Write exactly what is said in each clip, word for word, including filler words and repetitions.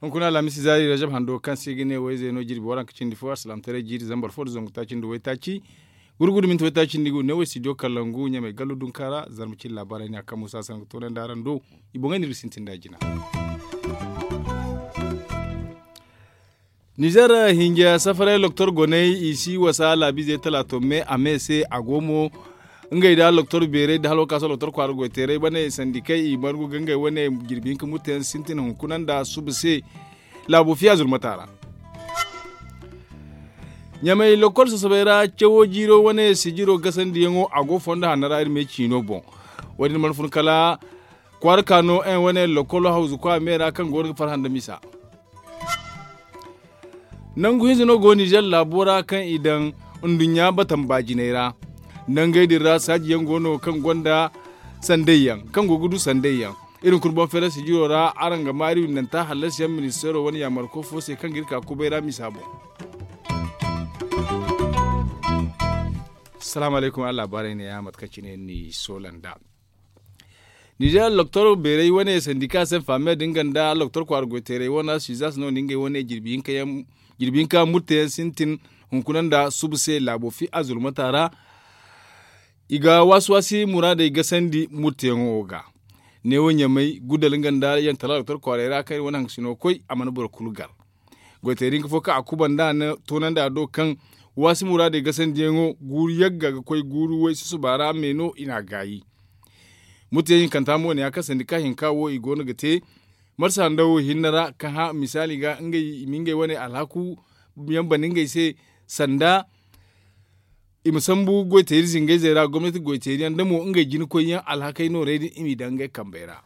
Hunkuna alhamisi zaari rajab hando kaŋ se i ga ne wayze no jirbi waranka cindi fo alsilaamataray jiiri zambar fo nda zangu taaci nda waytaaci gurgudu minti waytaaci nda i ga ne way studio kalangu ɲamay gallu dunka ra. Zarma cine laabaarey ne a kaŋ muusa sanga toonandi araŋ do. I boŋey no iri ga sintin nd'a jina. Nizer hinja safaray loktor goney i si wasa laabiizey talaato me a me se a go mo. Ngey nda loktor beerey nda hala wo kaŋ a si loktor kwaara goyteerey wane sandikey i margu ga ngey wane jirbi hinka murteyaŋ sintin hunkuna nda suba se. Laabo fiya zurmata ra. Ɲamay lokol sasabay ra cawo jiiro wane sijiro gasandiyaŋo a go fondo hanno ra iri me ciino boŋ. Wo- din mana fun kala kwaara ka no en wane lokolo hawzu kwa me ra kaŋ go no ga farhã nda misa. Nangu hinza no go nizer laabo ra kaŋ i daŋ nduɲɲa batamba jinay ra. Nangey din ra saaji yaŋ go no kaŋ gonda sandey yaŋ kaŋ go ga du sandey yaŋ. Iri hunkuna boŋ feera sijiro ra araŋ ga ma iri windanta hallasi yaŋ ministeero wane yaamarko fo se kaŋ ga iri ka kubay ra misa boŋ. Salaamu alaykum araŋ laabaarey ne- ya mate kaŋ cine ni soola nd'a. Nizer loktor beerey wane sandika se faame din ganda loktor kwaara goyteerey wane suizas no na ngey wane jirbi hinka murteyaŋ sintin hunkuna nda suba se laabo fi a zulmata ra. I ga waasi waasi muraadey gasandi murteyaŋo ga. Neewo ɲamay gudal nga nda yaŋ tala doktor kwaarey ra kaŋ iri wane haŋgasino koy a mana boro kulu gar. Goyteeri hinka fo kaŋ a kubanda a na toonandi a do kaŋ waasi muraadey gasandiyaŋo guuru yagga ga koy guuru way susuba ra me no i n'a gaayi. Murteyaŋ hinkanta mo ne ya kaŋ sandika hinka wo i go no ga te marsa nda wo hinne ra ka hã misaali ga ngey i ma ngey wane alhaku yaŋ bana ngey se sanda i ma sambu goyteeri zingayzey ra gomnati goyteeri yaŋ da mo ngey jina koy yaŋ alhakey noorey din i m'i daŋ ngey kambey ra.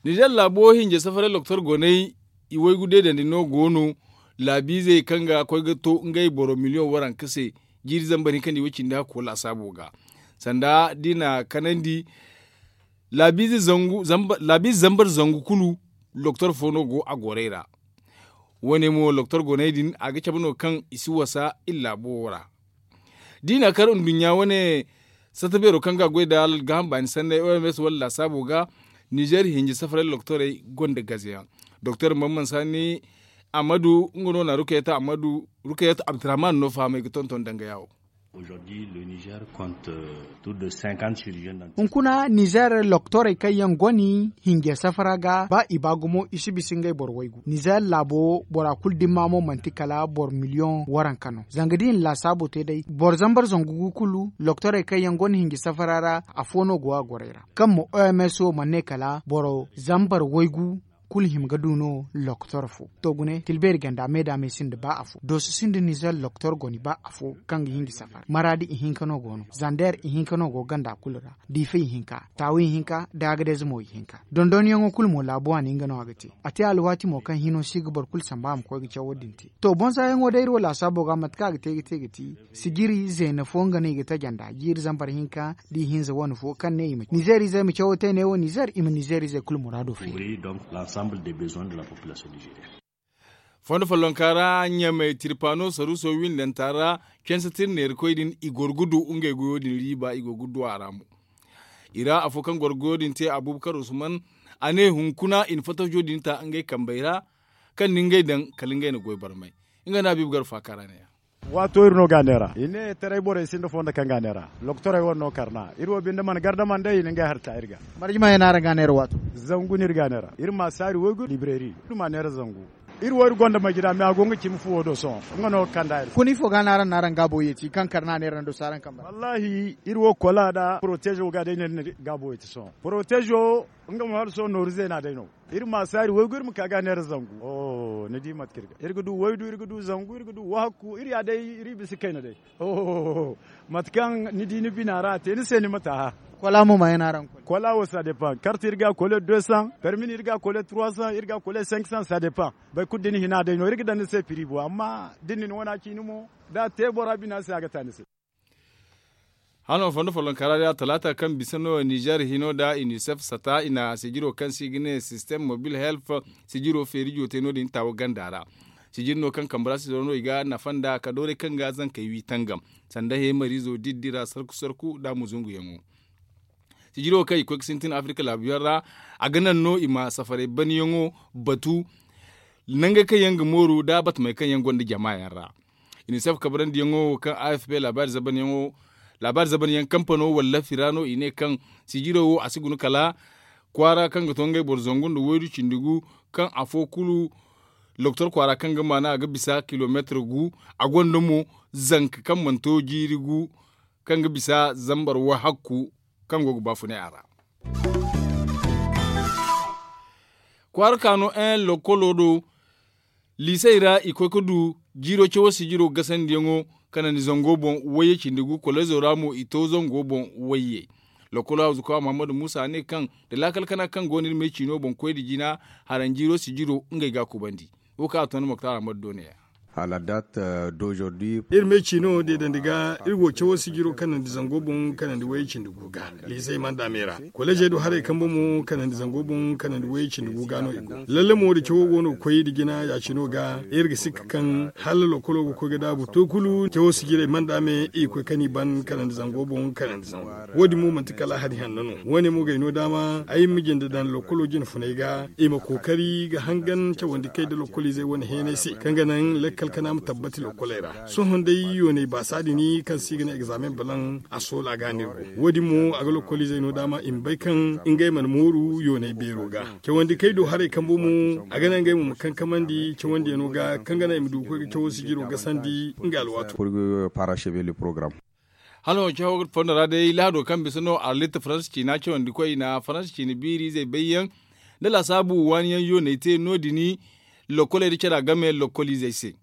Nizer laabo hinja safaray loktor goney i waygu deedandi no go no laabiizey kaŋ ga koy ga to ngey boro miliyoŋ waranka se jiiri zambar hinka nda i way cindi hakko laasaabo ga sanda da i na kanandi laabiize zambar zangu kulu loktor fo no go a gorey ra. Wo- ne mo loktor goney din a ga cabe no kaŋ i si wasa iri laabo wo ra. Da i na kar nduɲɲa wane sata beero kaŋ ga a goy nda gaaham baani sanney oms wala laasaabo ga nizer hinja safaray loktorey gonda gaze yaŋ. Doktor mamman sani amadu nga no na rukayatu abdurrahman no fahamay ga tonton danga yaawo. Hunkuna nizer loktorey kaŋ yaŋ goni hinja safara ga ba i ba gumo i si bisa ngey boro waygu nizer laabo wo bora kulu dimma mo manti kala boro miliyoŋ waranka no zanga da i na laasaabo te day boro zambar zangu gu kulu loktorey kaŋ yaŋ goni hinja safara ra afo no go a gorey ra kaŋ mo oms wo mana ne kala boro zambar waygu kulu hima ga du no loktor fo to gune tilbeeri ganda me da me sinda ba afo dooso sinda nizer loktor goni ba afo kaŋ ga hinga safar maraadi ihinka no go no zander ihinka no go ganda kulu ra diifa ihinka taawu ihinka da agadez mo ihinka dondonyaŋo kulu mo laabu waani nga no a ga te a te alwaati mo kaŋ hino si ga boro kulu samba a ma koy ga cawo din te to bonsayaŋo day iri wo laasaabo ga mate kaŋ a ga te ga te ga ti sijiri zeena fo nga no i ga taja nd'a jiiri zambar hinka da i hinza wane fo kaŋ ne i ma nizer izey ma cawo te ne wo nizer i ma nizer izey kulu muraado feeri. Fondo follonka ra ɲamey tirpano saruuso windanta ra canse tira neerakoy din i goro ga du ngey goyo din riiba i go ga du a ra mo. I ra afo kaŋ goro goyo din te abubakar usman a ne hunkuna i na fatajo din ta ngey kambey ra kaŋ na ngey daŋ kala ngey na goy barmay. Nga no a biiba gar faaka ra ne- ya. Waato iri no ga a neera i ne taray borey sinda fondo kaŋ ga a neera loktorey wane no karna iri wo binde mana gardama nd'ey i na ngey hari ta iri ga. Marje ma ya no araŋ ga a neera waato zangu no iri ga a neera iri ma saari waygu libreri iri ma neera zangu. Iri wo iri gonda majira me a go nga cimi fuwo do sohõ nga no ga kand'a iri se. Kuna ifo ga no araŋ na araŋ gaabo yeeti kaŋ karna neera nda si araŋ kamba ra wallaahi iri wo kola nda porotezo ga day no iri na gaabo yeeti sohõ porotezo nga mo hala sohõ nooru zeena day no. Iri ma saari waygu iri ma ka ga neera zangu. Ni di mate kaŋ iri ga iri ga du waydu iri ga du zangu iri ga du wahakku iri ya day iri bisa kayna day. Mate kaŋ ni di ni bina ra a te ni se ni ma taaha. Kola mo ma yana araŋ koy kola wo ça dépend karte iri ga kole deux cents permis iri ga kole trois cents iri ga kole cinq cents ça dépend. Boro kulu da ni hina day no iri ga daŋ ni se prix bo amma da ni na wana ciini mo da a te bora bina se a ga ta ni se. Hano fondo follonka ra day a talaata kaŋ bisa no nizer hino nda unicef sata i na sijiro kaŋ se i ga ne system mobile health sijiro feerijo te no- din taawo ganda ra. Sijiri no kaŋ kambe ra sijiro no i ga nafa nd'a ka dooray kaŋ ga zankey wi tangam sanda heemariizo diddi ra sarku sarku nda a ma zunguyaŋo. Sijiro kaŋ i koy ga sintin afirika laabu yaŋ ra, a ga naŋ no i ma safaray banyaŋo batu nangey kaŋ yaŋ ga mooru nda batamey kaŋ yaŋ gonda jama yaŋ ra. Inisef kabarandiyaŋo wo kaŋ afp laabaari zabanyaŋ kampano wallaafi ra no i ne kaŋ sijiro wo a si guna kala kwaara kaŋ ga to ngey boro zangu nda waydu cindi gu, kaŋ afo kulu lokotor kwaara kaŋ ga maana a ga bisa kilomeetir gu. A gonda mo zanka kaŋ mana to jiiri gu kaŋ ga bisa zambar wahakku kaŋ go ga baafunay a ra. Kwaara ka no en lokolo do liisey ra i koy ga du jiiro cawo sijiro gasandiyaŋo kanandi zango boŋ wayye cindi gu kolezo ra mo i to zango boŋ wayye. Lokolo hawzuka muhammadu muusa ne kaŋ da laakal kana kaŋ go no iri me ciino boŋ koy nda jina haranjiiro sijiro ngey ga a kubandi. Wo kaŋ a to ni moktar ahmadu do ne ya. Hala dat dozordi. Iri me ciino deedandi ga iri go cawo sijiro kanandi zango boŋ kanandi wayye cindi gu ga liisey manda me ra. Kolejey do haray kambe mo kanandi zango boŋ kanandi wayye cindi gu ga no i go lalle mo da cawo go no ga koy nda jina ya cino ga iri ga sikka kaŋ hala lokolo ga koy ga daabu to kulu cawo sijirey manda me i ga koy kaŋ i ban kanandi zango boŋ kanandi zango. Wo- din mo manti kala hari hanno no wo- ne mo ga ay no daama ay ma jinde daŋ lokolo jine funay ga i ma kookari ga hangan cawandi kay nda lokoliizey wane heenay se kaŋ ga naŋ lakkal kana ma tabbati lokoley ra. Sohõ day yoonay baasa din kaŋ se i ga ne egzaamen balaŋ a soola ga no iri go. Wo- din mo a ga lokolizey no daama i ma bay kaŋ ngey mana mooru yoonay beero ga. Cawandi kay do haray kambo mo a ga naŋ ngey mo ma kankamandi cawandiyano ga kaŋ ga naŋ i ma du ga koy ga cawo sijiro gasandi nga alwaato. Hala wo cawo fondo ra day lahado kaŋ bisa no arlit faransa ciina cawandi koy i na faransa ciina biiri izey bayyaŋ da laasaabu waaniyaŋ yoonay te no- din. Lokoley da cara game lokolizey se.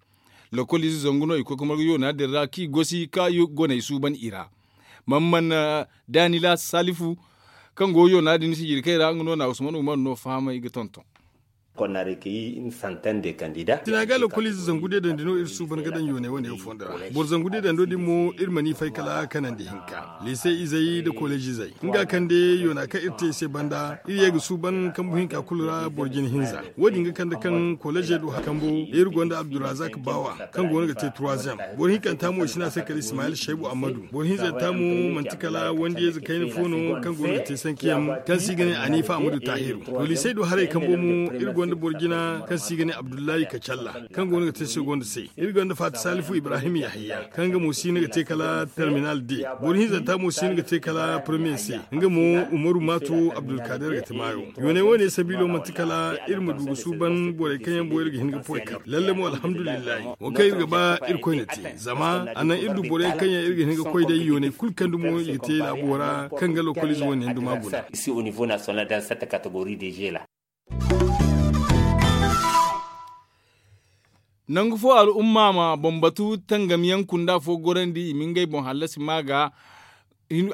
Lokolize zangu no i koy ga margu yoona din ra kaŋ i gosi ka goney suuban i ra. Mamman danila salifu kaŋ go yoona din sijiri kay ra nga no na usman umar no fahamay ga tonton. Sina ga lokolize zangu deedandi no iri suuban ga daŋ yooney wane yaŋ fondo ra. Boro zangu deedando din mo iri mana i fay kala kanandi hinka liise izey nda kolejizey nga kande yoona kaŋ iri te i se banda iri ye ga suuban kambu hinka kulu ra boro jine hinza. Wo- din ga kande kaŋ kolejey do hari kambo iri gonda abdulrazak baawa kaŋ go no ga te troisième. Boro hinkanta mo i si ne a se kala ismayil shaybu ammadu. Boro hinzanta mo manti kala wandiyayze kayna fo no kaŋ go no ga te sankiyaŋ kaŋ se i ga ne anifa ammadu tahiru. Poliisey do haray kambo mo iri gonda boro jina kaŋ se i ga ne abdullahi kacalla kaŋ go no ga te segonda se. Iri gonda faati salifu ibrahim yahaya kaŋ nga mo si no ga te kala terminal de. Boro hinzanta mo si no ga te kala premier se. Nga mo umaru maato abdulkader ga te maayo. Yoonay wane sabiilo manti kala iri ma du ga suuban borey kaŋ yaŋ boŋ iri ga hin ga poy kar lalle mo alhamdulillahi. Wo kaŋ iri ga ba iri koyne te zama a naŋ iri du borey kaŋ yaŋ iri ga hin ga koy day yoonay kulu kaŋ dumo i ga te laabo ra kaŋ ga lokolize wane yaŋ duma guna. Nangu fo al'umma ma bambatu tangamyaŋ kunda fo gorandi i ma ngey boŋ hallasi ma ga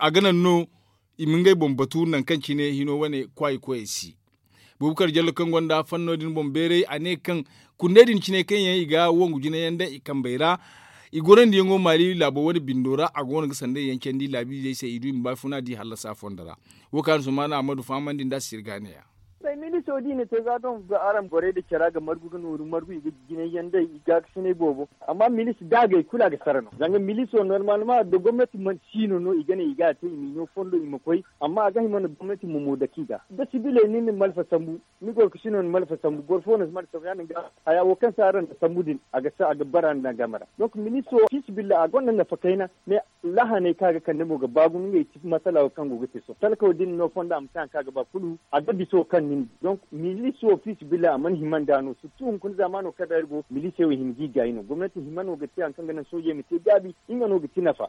a ga naŋ no i ma ngey boŋ batu nangu kaŋ cine hino wane kwaayi koyey si. Bubakar jallo kaŋ gonda fanno din boŋ beeray a ne kaŋ kundey din cine kaŋ yaŋ i ga wangu jinayaŋ daŋ i kambey ra i gorandiyaŋo maali laabo wane bindo ra a go no ga sanday yaŋ candi laabiizey se i du i ma baafuna di hallasa fondo ra. Wo kaŋ a na sumana ammadu fahamandi nd'a sirga ne- ya. Miliso da i na te za doŋ ga araŋ borey da care a ga margu ga nooru margu i ga jinay yaŋ day i gaakasinay boobo. Amma milis da a gay kulu a ga sara no zanga miliso normalma da gomnati mana siino no i ga ne i ga a te i ma i no fondo i ma koy. Amma a ga hima no gomnati ma mo dake i ga da sibiley ni na malfa sambu ni goro ga sino ni malfa sambu boro fo no si malfa sambu ya- din ga haya wo kaŋ si araŋ da sambu din a ga bara ni daŋ game ra. Donk miliso fiisibilla a gonda nafa kayna. Lahaney kaŋ a ga kande mo ga baa gumo ngey ti masala wo kaŋ go ga te sohõ talkaw da ni no fonda a ma te hari kaŋ a ga ba kulu a ga biso kaŋ nin. Donk milis wo fiisabilillahi a mana hima nd'a no sirtu hunkuna zaamaano kaŋ ra iri go milisey wo hima ga i gaayi no gomnati hima no ga te hari kaŋ ga naŋ soojey ma te gaabi. Nga no ga ti nafa.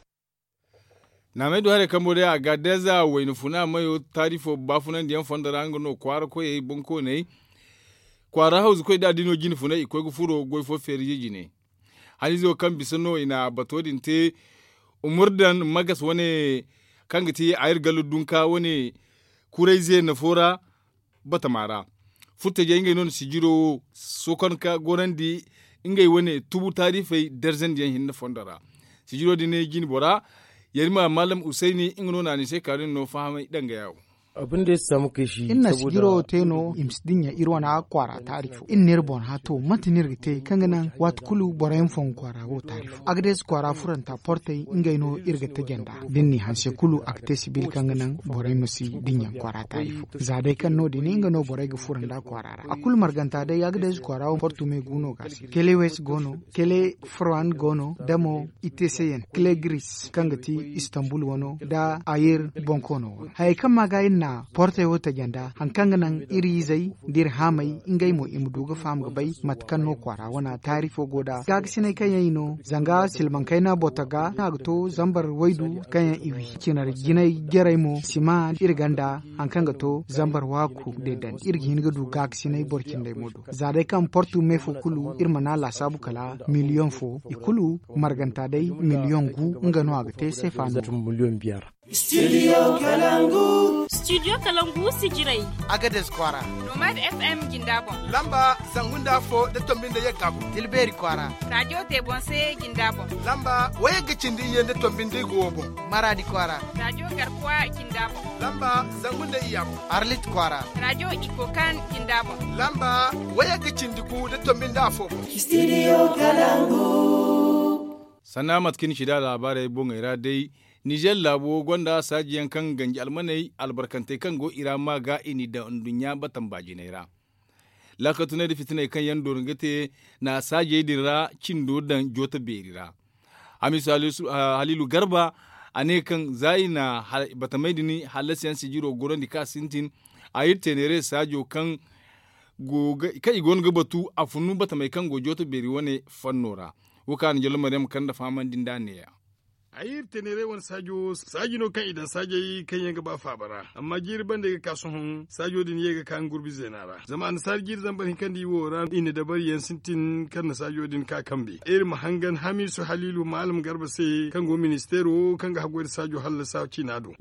Naamey du haray kambo day a ga deeza wayna funa mayo taarifo baafunandiyaŋ fondo ra nga no kwaara koyey bonkooney kwaara hawzu koy da a di no jine funay i koy ga furo goy fo feerize jine. Haniizo kaŋ bisa no i na bato din te umurdan magas wane kaŋ ga ti ayir gallo dunka wane kuray zeena fo ra. Batama ra furtajey ngey no na sijiro wo sokon ka gorandi ngey wane tubu taarifey darzandiyaŋ hinne fondo ra. Sijiro din ne jine bora yarima maalam usayni nga no na ni se kaaru ni no fahamay dangaya wo. Iri na sijiro te no i ma si dinya iri wane kwaara taari fo. Iri n'iri boŋ hã to mate no iri ga te kaŋ ga naŋ waati kulu boro yaŋ fongu kwaara wo taari fo. Agades kwaara furanta portey ngey no iri ga taje nd'a da ni n'i hanse kulu a ga te sibil kaŋ ga naŋ borey ma si dinya kwaara taari fo. Za day kaŋ no- din nga no borey ga furo nd'a kwaara ra a kulu marganta day agades kwaara wo portu me gu no ga a se kele wes go no, kele furwan go no da mo i te se yaŋ kele gris kaŋ ga ti istanbul wano nda ayir bonkoono wano. Hayey kaŋ ma ga iri na portey wo taje nd'a hari kaŋ ga naŋ iri izey nda iri haamey ngey mo i ma du ga faham ga bay mate kaŋ no kwaara wana taari fo go nd'a gaakasiney kaŋ yaŋ i no zanga silbaŋ kayna boto ga no a ga to zambar waydu kaŋ yaŋ i wi cinar jinay jarey mo sima iri ganda hari kaŋ ga to zambar waaku deedandi iri ga hin ga du gaakasiney boro cindey mo do. Za day kaŋ portu me fo kulu iri mana laasaabu kala miliyoŋ fo i kulu marganta day miliyoŋ gu nga no a ga te seefa no. Studio kalangu sijirey. Agades kwaara. Nomad fm jinda boŋ. Lamba zangu nda afo da tombi nda yagga boŋ tilbeeri kwaara. Raajo te boŋ se jinda boŋ. Lamba wayagga cindi iyye nda tombi nda igo wo boŋ. Maraadi kwaara. Raajo garkuwa jinda boŋ. Lamba zangu nda iyya boŋ. Arlit kwaara. Raajo iko kan jinda boŋ. Lamba wayagga cindi gu nda tombi nda afo boŋ. Studio kalangu. Sanna mate kaŋ ni ci da laabaarey boŋey ra day. Nizer laabo gonda saaji yaŋ kaŋ ganji almaney albarkantey kaŋ go i ra ma ga i n'i daŋ nduɲɲa batamba jinay ra. Laakatunay nda fitiney kaŋ yaŋ doori ga te na saajey din ra cindo daŋ jooto beeri ra. Hamisu haliilu garba a ne kaŋ za i na batamey din hallasiyaŋ sijiro gorandi ka sintin a iri teeneere saajo kaŋ i go no ga batu a funu batamey kaŋ go jooto beeri wane fanno ra. Wo kaŋ a na jallo maryam kande fahamandi nd'a neeya. Ay iri teeneerey wane saajo saaji no kaŋ i daŋ saajey kaŋ yaŋ ga ba faaba ra. Amma jiiri banda ay ga ka sohõ saajo din ye ga ka nga gurbi zeena ra zama annasaari jiiri zambar hinka nda i wo ra i na dabariyaŋ sintin kaŋ na saajo din ka kambe iri ma hangan hamiisu haliilu maalam garba se kaŋ go ministeero kaŋ ga haggoy nda saajo hallasa ciina do.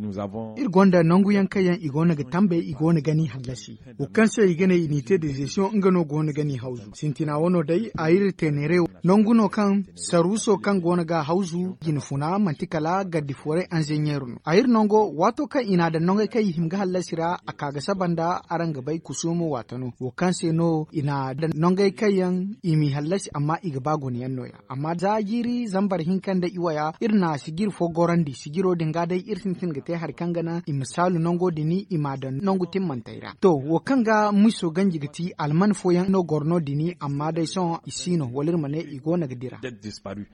Iri gonda nangu yaŋ kaŋ yaŋ i go no ga tambe i go no ga ni hallasi. Wo kaŋ se i ga ne i n'i te dezesiyoŋ nga no go no ga ni hawzu sintina wano day a iri teeneere nangu no kaŋ saruuso kaŋ go no ga hawzu jinfuna manti kala gardi fooray anzeɲeer no a iri nango waato kaŋ i n'a daŋ nangey kaŋ i hima ga hallasi ra a ka ga saba nda araŋ ga bay kusuumo waata no wo kaŋ se no i n'a daŋ nangey kaŋ yaŋ i m'i hallasi amma i ga ba guna yaŋ no- ya. Amma za jiiri zambar hinka nda iwaya iri na sijir fo gorandi sijiro din ga day iri sintin ga te hari kaŋ ga naŋ i ma saalu nango din i m'a daŋ nangu timmantey ra to wo kaŋ ga miso ganji ga ti alman fooyaŋ no goro no- din amma day sohõ i si no wala iri ma ne i go no ga dira.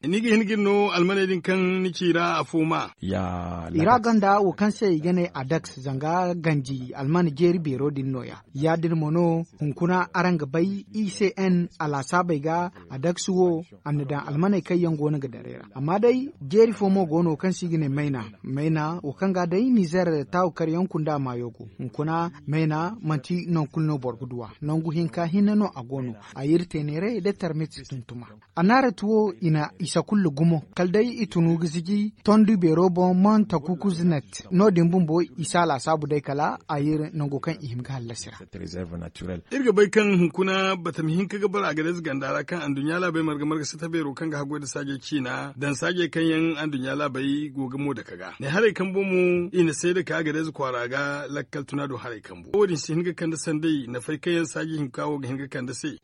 Ni ga hin ga iri no almaney din kaŋ ni ci i ra afo ma. I ra gonda wo kaŋ se i ga ne adaks zanga ganji alman jeeri beero din no- ya. Ya- din mo no hunkuna araŋ ga bay i se n a laasaabey ga adaks wo a na daŋ almaney kaŋ yaŋ go no ga daray ra amma day jeeri fo mo go no kaŋ se i ga ne mayna. Mayna wo kaŋ ga day nizer taawu kar yaŋ kunda maayo go hunkuna mayna manti nangu kulu no boro ga duw'a. Nangu hinka hinne no a go no a iri teeneerey da tarmit tuntuma. Annaarati wo i na isa kulu gumo kala day i tunu ga ziji tondu beero boŋ man takuku zinet no- din bumbo i si a laasaabu day kala a iri nango kaŋ i hima ga hallasi ra. Iri ga bay kaŋ hunkuna batami hinka ga bara a ga day za ganda ra kaŋ anduɲɲa laabey marga marga sata beero kaŋ ga haggoy nda saajey ciina daŋ saajey kaŋ yaŋ anduɲɲa laabey go ga mo dake ga ne haray kambo mo i na seeda ka a ga day za kwaara ga lakkal tuna do haray kambo wo- din si hin ga kande sanday nafay kaŋ yaŋ saaji hinka wo ga hin ga kande se.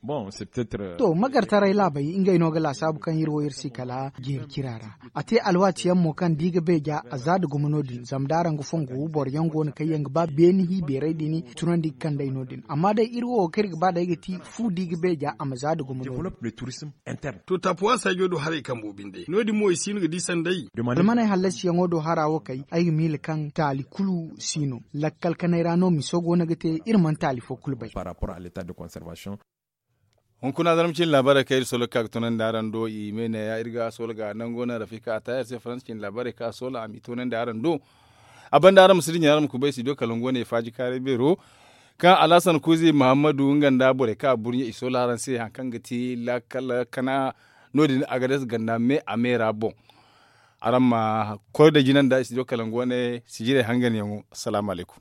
To magartaray laabey ngey no ga laasaabu kaŋ iri wo iri si kala jeeri cira ra. A te alwaati yaŋ mo kaŋ da i ga beeja a za da gumo no- din zama da araŋ ga fongu boro yaŋ go no kaŋ yaŋ ga ba beeni hi beeray din tunandi ga kand'ey no- din amma day iri wo kaŋ iri ga ba day ga ti fu da i ga beeja a ma za da gumo no- din. To taapuwa saajo do haray kambo binde no- din mo i si no ga di sanday. Almaney hallasiyaŋo do hara wo kay ay ga miila kaŋ taali kulu si no. Lakkal kanay ra no miso go no ga te iri mana taali fo kulu bay. Hunkuna zarma cine laabaarey kaŋ iri solo ga ka ga toonandi araŋ do i me neeya iri ga solo ga nango naŋ rafika a taayar se faransa cine laabaarey kaŋ a solo a m'i toonandi araŋ do. A banda araŋ ma si dinya araŋ ma kubay studio kalangu wane faaji kaaray beero kaŋ alhasan kuuzi muhammadu nga nda borey kaŋ a burɲe i solo araŋ se hari kaŋ ga ti laakal kana no- din agades ganda me a me ra boŋ. Araŋ ma koy da jina nda studio kalangu wane sijirey hanganyaŋo. Assalaamu alaykum.